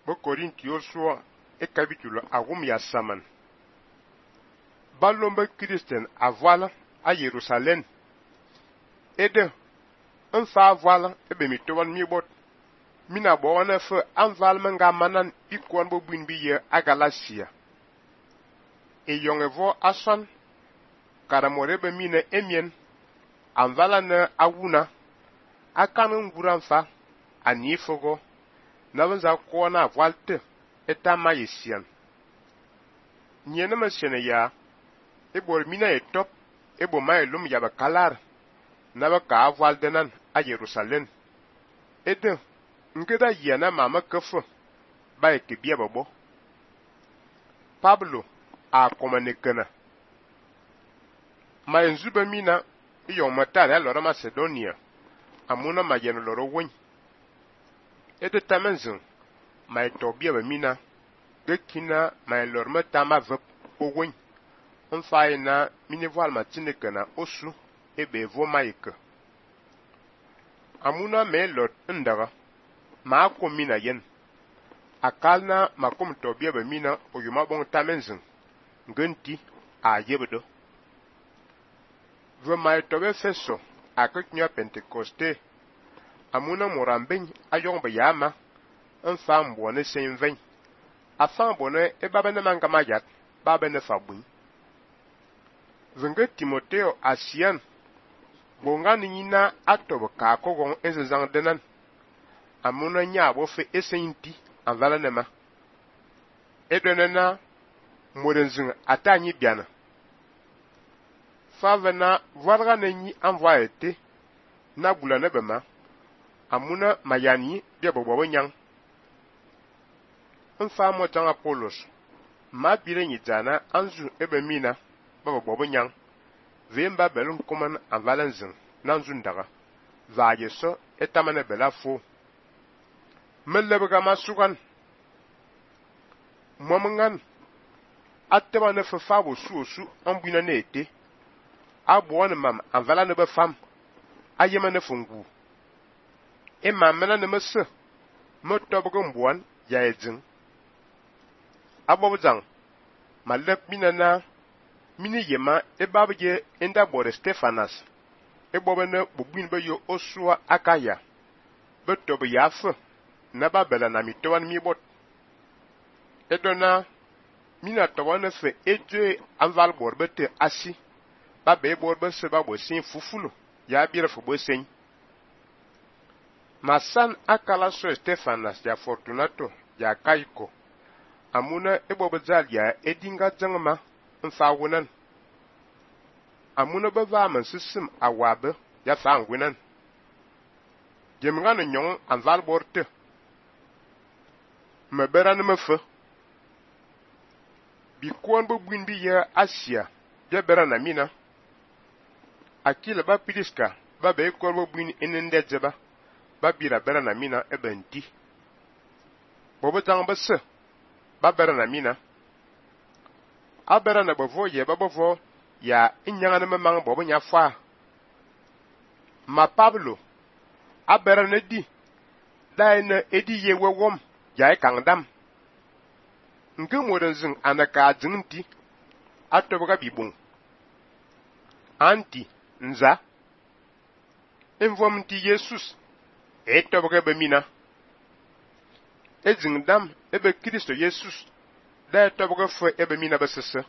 Bo Korintios e capítulo agum ya saman. Balombe Christian a voile à Jérusalem. Et de un fa voile e be mi towan mi bot. Mina bo wana fe an valmenga manan ikwan bo buin biye a Galatia. E yonge vo asan karamore be mine emien an valane awuna akan nguran fa ani fogo na banza kona voilte etama yesian. Nyene masene ya ebor mina etop ebo maelum yaba kalar na ba ka voile denan a Jerusalem. Ede ngeda yana mama kefo ba ekebia babo. Pablo a komanekena. Ma enzuba mina iyo matare lora Macedonia amuna mayeno loro wony. Ede tamenzin ma etobia ba mina gekina ma lorma tama vep o wony. Onfaye na mini voile matinekena osu ebe vo maike. Amuna me lot ndaga ma komina yen. Akalna makom tobia ba mina oyuma bon tamenzin ngenti a yebedo. Ve ma etobe feso akeknya Pentecoste amuna morambin ayon ba yama enfam bonne senven. Afan bonne e babene mangama yat babene fabun. Venge Timoteo asian bonga nina atobo ka kogon ezezang denan amuna nyabo fe esenti anvala nema edonena modenzing atanyi biana favena varga nenyi envoyete na bulane bema amuna mayani de bobo nyang mfa mo tanga Apollos ma bire nyi jana anzu ebe mina bobo nyang vemba belum kuman anvalanzin nanzu ndaga vaje so etamane bela fo mellebga masugan momangan atema ne fafabo suosu ambina nete abone mam anvala ne befam ayema ne fungu e mamena ne messe motobgo mbuan ya edzin abobjang malep minana mini yema e babje enda bore Stefanas e bobene bubin be yo osua akaya betobe yafe na babela na mitowan mi bot edona mina towana fe eje anval borbete asi babe borbe se babo sin fufulo ya bire fo bosen masan akala so Stefanas ya Fortunato ya Kaiko amuna e bobezal ya edinga jangma mfawunan amuna bava man sisim awabe ya fangwinan jemngana nyon anval borte meberan mefe bi kwon bo buin bi ya Asia ya berana mina akila ba pidiska ba be kwon bo buin enende jeba ba bira berana mina ebenti bobo tang bese ba berana mina abera na bovo ye babovo ya inyanga na mang bobo nya fa ma Pablo abera na di dai na edi ye wewom ya kangdam nke modenzin anaka jinti atoboga bibun anti nza envom ti Jesus etoboga bemina ejingdam ebe Kristo Jesus da etoboga fo ebe mina besese